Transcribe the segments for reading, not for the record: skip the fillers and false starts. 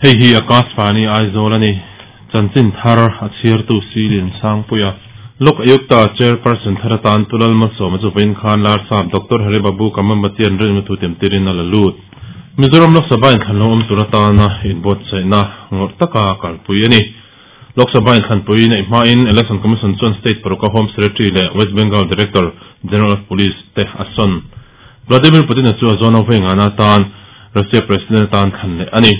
Hei hi Akashvani Aizawl a ni. Chanchin thar a chhiartu Si Liansangpuia. Lok Ayukta Chairperson thar atan Pu Lalmalsawma chu vawiin khan Larsap Doctor Hari Babu Kamambatian rinna thu tiamtirin a la lut. Mizoram Lok Sabha inthlan lo awm tur atana inbuatsaihna ngawrh taka kalpui a ni. Lok Sabha inthlanpui neih hmain Election Commission chuan state paruka Home Secretary leh West Bengal Director General of Police te a sawn. Vladimir Putin-a chu a zawn avei ngana atan Russia President atan thlan leh a ni.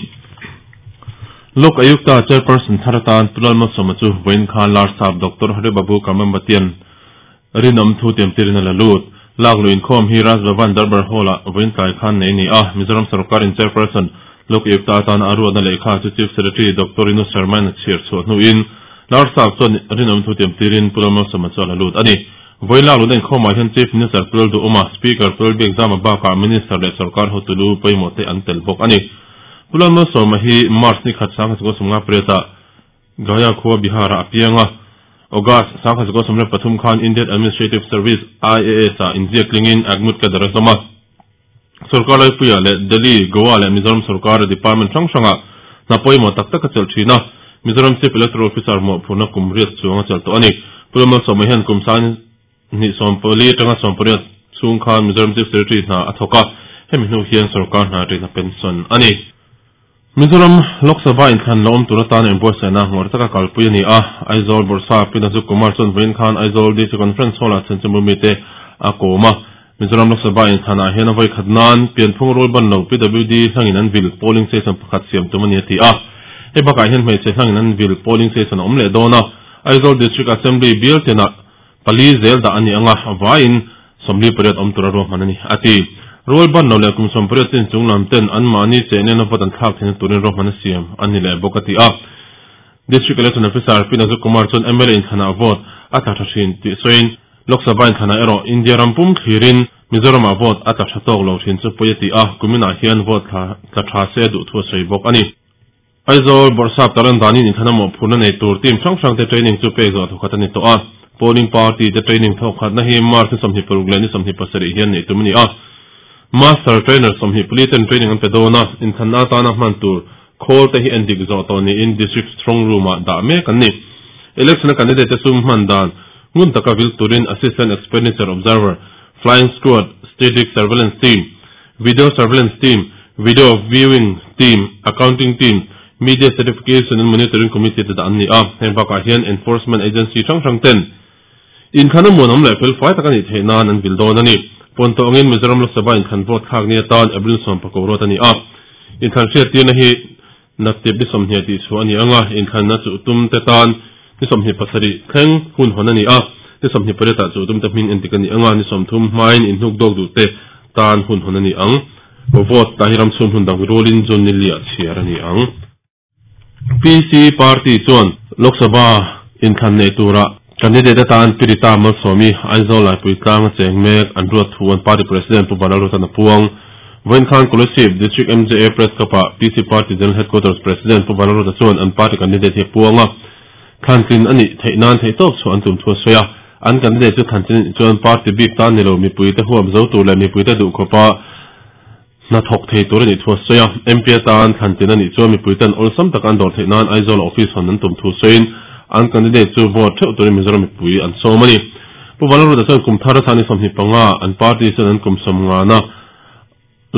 Lok Ayukta Chairperson thar atan Pu Lalmalsawma chu vawiin khan Larsap Doctor Hari Babu Kamambatian rinawm thu tiamtirin a la lut. Lak luh inkhawm hi Raj Bhavan Darbar Hall-ah vawiin tlai khan nei a ni a, Mizoram sawrkarin Chairperson Lok Ayukta atana a ruatna lehkha chu Chief Secretary Doctor Rinu Sharma-in a chhiar chhuah hnuin Larsap chuan rinawm thu tiamtirin Pu Lalmalsawma chu a la lut a ni. Vawiin lak luhna inkhawmah hian Chief Minister Pu Lalduhawma, Speaker Pu Lalbiakzama bakah Minister leh sawrkar hotu lu pawimawh te an tel bawk a ni. Pu Lalmalsawma hi March ni khat 1958-ah Gaya khua Bihar-ah a piang a, August 1973 khan Indian Administrative Service, IAS, ah inziak tlingin Agmut cadre a hlawm a. Sorkar Laipuia leh Delhi, Goa leh Mizoram sorkara department hrang hrangah hna pawimawh tak tak a chelh thin a. Mizoram Chief Electoral Officer mawhphurhna kum riat chuang a chelh tawh a ni. Pu Lalmalsawma hian kum sangni 14 atanga 18 chhung khan Mizoram Chief Secretary hna a thawk a, hemi hnu hian sorkar hna ṭihna pension a ni. Mizoram Lok Sabha inthlan la awm tur atana inbuatsaihna ngawrh taka kalpui a ni a, Aizawl Bawrhsa Pi Nazuk Kumar chuan vawiin khan Aizawl DC Conference Hall-ah chhenchimbu mite a kawm a. Mizoram Lok Sabha inthlanah hian a vawikhat nan pianphung rul ban lo PWD hlangin an vil polling station pakhat siam tum a ni a ti a. Hei bakah hian hmeichhe hlangin an vil polling station a awm leh dawn a, Aizawl District Assembly bial tenah Pali zel dah a ni ang a, vaiin 48 awm tura ruahman a ni, a ti. Rual ban lo leh kum 80 chin chung lam ten anmahni cheh nena vote an thlak theihna turin ruahman a siam a ni leh bawk, a ti a. District Election Officer Pi Nazuk Kumar chuan mla inthlanah vote a tla tha thin tih sawiin, Lok Sabha inthlanah erawh India ram pum thlirin Mizoramah vote a tla tha tawk lo thin chu pawi a ti a, kuminah hian vote tla tha se a duh thu a sawi bawk a ni. Aizawl Bawrhsap Taran danin inthlan a mawhphurhna nei tur team hrang hrangte training chu pek zawh thawkhat a ni tawh a. Polling party te training thawkhatna hi March ni 26 leh ni 27 hian neih tum a ni a. Master Trainer 24 ten training an pe dawn a, inthlanna atana hman tur khawl te hi endik zawh tawh niin District Strong Room ah dah mek an ni. Election a candidate te sum hman dan ngun taka vil turin Assistant Expenditure Observer, Flying Squad, Static Surveillance Team, Video Surveillance Team, Video Viewing Team, Accounting Team, Media Certification and Monitoring Committee te dah an ni a. Heng bakah hian Enforcement Agency hrang hrang ten inthlan a muanawm leh felfai tak a nih theih nan an vil dawn a ni. Pawn tawh angin Mizoram Lok Sabha inthlan vote thlak ni atan April 10 ruat a ni a. Inthlan hriattirna hi naktip ni 20 tih chhuah a ni ang a, inthlanna chuh tum te tan ni 27 thleng hun hawn a ni a, ni 28 ah chuh tum te hming entik a ni ang a, ni 30 hmain inhnuk dawk duh te tan hun hawn a ni ang. Vote tah hi ram chhung hmun dang rualin June ni liah chhiar a ni ang. PC Party chuan Lok Sabha inthlan neih turah candidate atan Pi Rita Malsawmi, Aizawl Laipui tlang a cheng mek an ruat thu an party president Pu Vanlalruatan a puang. Vawiin khan Kolasib District MJA Press Club-ah PC Party General Headquarters President Pu Vanlalruata chuan an party candidate hi a puang a, thlantlin a nih theih nan theihtawp chhuah an tum thu a sawi a. An candidate chu thlantlin a nih chuan party bik tan ni lo mipuite huam zo tur leh mipuite duh khawpa hna thawk thei tur a nih thu a sawi a. MP atan thlantlin a nih chuan mipuiten awlsam taka an dawr theih nan Aizawl-a office hawn an tum thu sawiin an candidate chu vote theuh turin Mizoram mipui an sawm a ni. Pu Vanlalruata chuan kum thar a ni 25 an party chuan an kum 50 na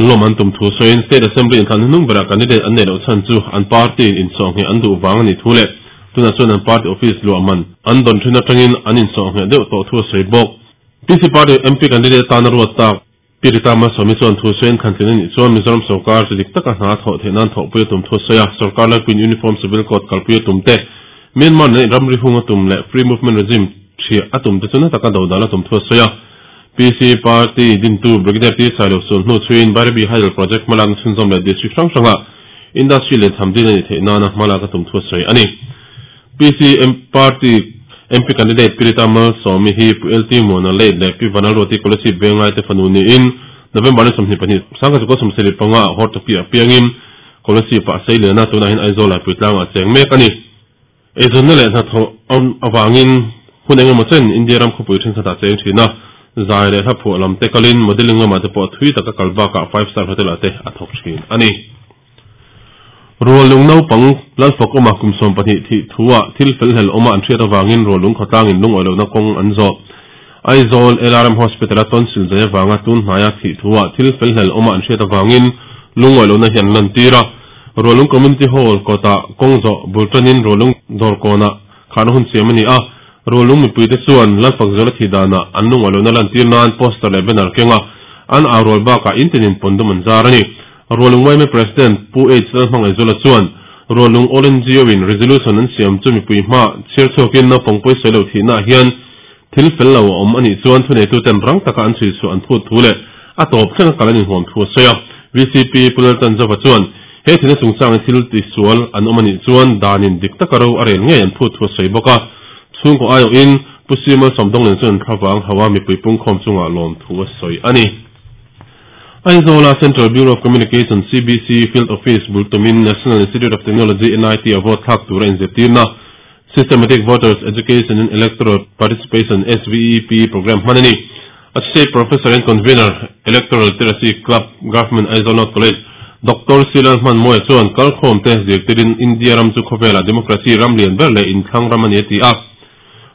lawm an tum thu sawiin State Assembly inthlan hnuhnung berah candidate an neih loh chhan chu an party in insawhngheh an duh vang a nih thu leh tunah chuan an party office luah man an dawn thin atangin an insawhngheh deuh tawh thu a sawi bawk. PC Party MP candidate atana ruat tak Pi Rita Malsawmi chuan thu sawiin thlantlin a nih chuan Mizoram sorkar chu dik taka hna a thawh theih nan thawhpui a tum thu a sawi a, sorkar laipuiin Uniform Civil Code kalpui a tum te, Myanmar nen ramri hung a tum leh Free Movement Regime ṭhiah a tum te chu na taka dodal a tum thu a sawi a. PC Party dintu Brigadier T Sailo sul hnu chhuiin Bairabi Hydel Project hmalakna chhunzawm leh District hrang hranga Industry lian tham din a nih theih nana hmalak a tum thu a sawi a ni. PC Party MP Candidate Pi Rita Malsawmi hi Pu LT Muana Late leh Pi Vanlalruati Kolasib Vengai te fanu niin November ni 22, 1975 ah Hortoki ah piangin Kolasib ah a sei lian a, tunah hian Aizawl Laipui tlangah a cheng mek a ni. Eizawnna leh hnathawh avangin hun eng emaw chen India ram khawpui thenkhatah cheng thin a, zai leh hla phuah lam te kalin modelling lamah te pawh thui taka kal bakah five star hotel ah te a thawk thin a ni. Ruallung naupang Lalfakawma kum 12 thih thu-ah thil felhlel awma an hriat avangin Ruallung khawtlangin lungawi lohna kawng an zawh. Aizawl LRM Hospital-a tonsil zai avanga tun hnaia thih thu-ah thil felhlel awma an hriat avangin lungawi lohna hi an lantir a. Ruallung Community Hall kawtah kawng zawh bul tanin Ruallung dawrkawnah kharna hun siam a ni a. Ruallung mipuite chuan Lalfakzuala thih danah an lungawi lohna lantir nan poster leh banner keng a, an au rual bakah in tinin pawndum an zar a ni. Rualung yma President Pu H Lalhmangaihzuala chuan Rualung All NGO in resolution an siam chu mipui hma chhiar chhuakin naupang pawisawi lo thihnaah hian thil fel lo a awm a nih chuan thuneituten rang taka an chhui chhuah an phut thu leh a tawp thleng a kal an inhuam thu a sawi a. VCP Pu Laltanzova chuan he thihna chungchangin thil tisual an awm a nih chuan danin dik taka ro a rel ngei an phut thu a sawi bawk a. Chhungkaw aiawhin Pu Simal Sawmdawnglin chuan an thlavang hauha mipui pungkhawm chungah lawm thu a sawi a ni. Aizawla Central Bureau of Communication, CBC, Field Office bul tumin National Institute of Technology, NIT, a vote thlak tura inzirtirna Systematic Voters Education and Electoral Participation, SVEP, program hman a ni. Associate Professor and Convener, Electoral Literacy Club, Government Aizawl North College, Doctor C. Lalhmanmawia chuan kalkhawmte zirtirin India ram chu khawvelah democracy ram lian ber leh inthlang ram a ni a ti a.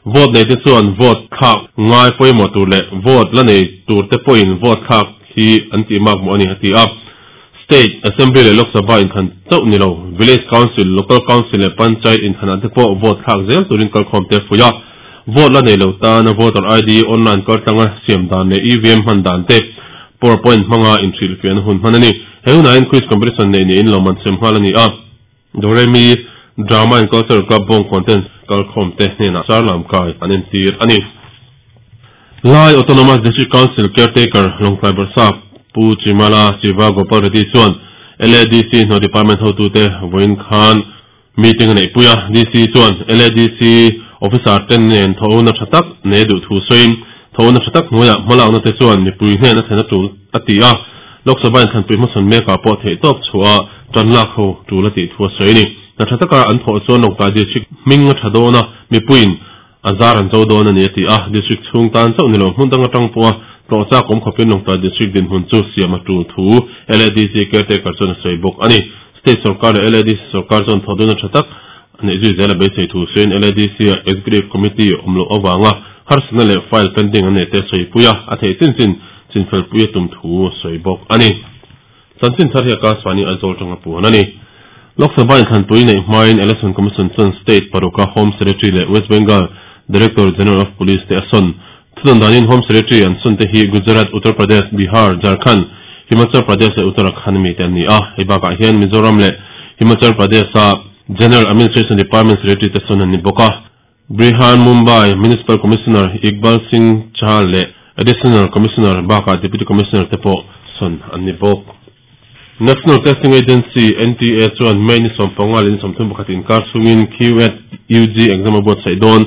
Vote neite chuan vote thlak ngai pawimawh tur leh vote la nei turte pawhin vote thlak hi an tih mak mawh a ni, a ti a. State Assembly leh Lok Sabha inthlan chauh ni lo, Village Council, Local Council leh Panchayat inthlanah te pawh vote thlak zel turin kalkhawmte a fuih a. Vote la nei lo tana voter ID online kaltlanga siam dan leh EVM hman dan te PowerPoint hmanga inhrilhfiahna hun hman a ni. He hunah hian quiz competition neih niin lawmman sem nghal a ni a. Doremi Drama and Cultural Club bawng content kalkhawmte hnenah Sarlam kai an entir a ni. Lai Autonomous District Council Caretaker Lawngtlai Bawrhsap Pu Chimala Siva Gopal Reddy chuan LADC hnaw department hotute vawiin khan meeting a neihpui a. DC chuan LADC officer te nen thawhna tha tak nei duh thu sawiin thawhna tha tak hnuaiah hmalakna te chuan mipui hnen a thlen a tul a ti a. Lok Sabha inthlanpui hmasawn mekah pawh theihtawp chhuah a Ṭan lak ho ṭul a tih thu a sawi a ni. Hna ṭha taka an thawh chuan Lawngtlai District hming a ṭha dawn a, mipuiin a zar an cho dawn a ni a ti a. District chhung tan chauh ni lo hmun dang aṭang pawha tlawh chak awm khawpin Lawngtlai District dinhmun chu siam a ṭul thu LADC caretaker chuan a sawi bawk a ni. State sorkar leh LADC sorkar chuan thawh duna ṭha tak a neih zui zel a beisei thu sawiin LADC-a Executive Committee awm loh avanga harsatna leh file pending an neih te a sawipui a, a theih chin chin chinfelpui a tum thu a sawi bawk a ni. Chanchin thar hi Akashvani Aizawl tanga puan a ni. Lok Sabha inthlanpui neih hmain Election Commission chuan State paruka Home Secretary leh West Bengal Director General of Police te a sawn. Thudawn danin Home Secretary an sawn te hi Gujarat, Uttar Pradesh, Bihar, Jharkhand, Himachal Pradesh leh Uttarakhand mi te an ni a. Hei bakah hian Mizoram leh Himachal Pradesh-a General Administration Department Secretary te sawn an ni bawk a. Brihan Mumbai Municipal Commissioner Iqbal Singh Chahal leh Additional Commissioner bakah Deputy Commissioner te pawh sawn an ni bawk. National Testing Agency, NTA, chuan May ni 15 leh ni 31 inkar chhungin QEd UG exam a buatsaih dawn.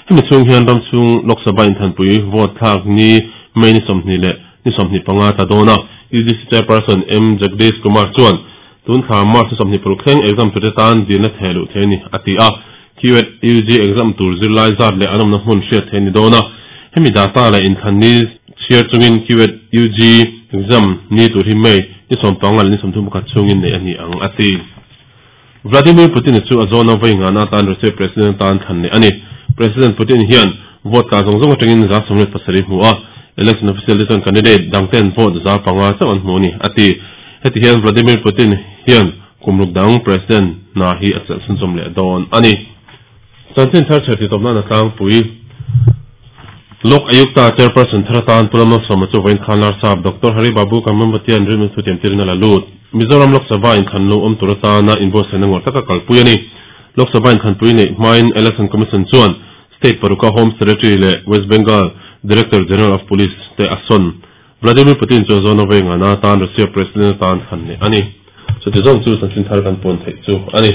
Hemi chhung hian ram chhung Lok Sabha inthanpui vote thlak ni May ni 20 leh ni 25 tla dawn a. UGC Chairperson M Jagdish Kumar chuan tun thla March ni 26 thleng exam turte tan dilna theh luh thei a ni, a ti a. QEd UG exam tur zirlai zat leh an awmna hmun hriat theih a ni dawn a, hemi data leh inthlan ni chhiar chungin QEd UG exam ni tur hi May ni 15 leh ni 31 chhungin neih a ni ang, a ti. Vladimir Putin-a chu a zawna vawi ngahna atan Russia President atan thlan leh a ni. President Putin hian vote tla zawng zawng atangin 77 hmu a, election official te chuan candidate dangten vote 5% chauh an hmu a ni, a ti. Heti hian Vladimir Putin hian Kum ruk dang President hna hi a chelh chhunchawm leh dawn a ni. Chanchin thar chher titawp nana tlangpui Lok Ayukta Chairperson thar atan Pu Lalmalsawma chu vawiin khan Larsap Doctor Hari Babu Kambhampatian rilru thu tiamtirin a la lut. Mizoram Lok Sabha inthlan lo awm tur atana inbuatsaihna ngawrh taka kalpui a ni. Lok Sabha inthlanpui neih hmain Election Commission chuan State paruka Home Secretary leh West Bengal Director General of Police te a sawn. Vladimir Putin chuan zawna vawi ngana atan Russia President atan thlan leh a ni. Chuti zawng chu chanchin thar kan puan theih chu a ni.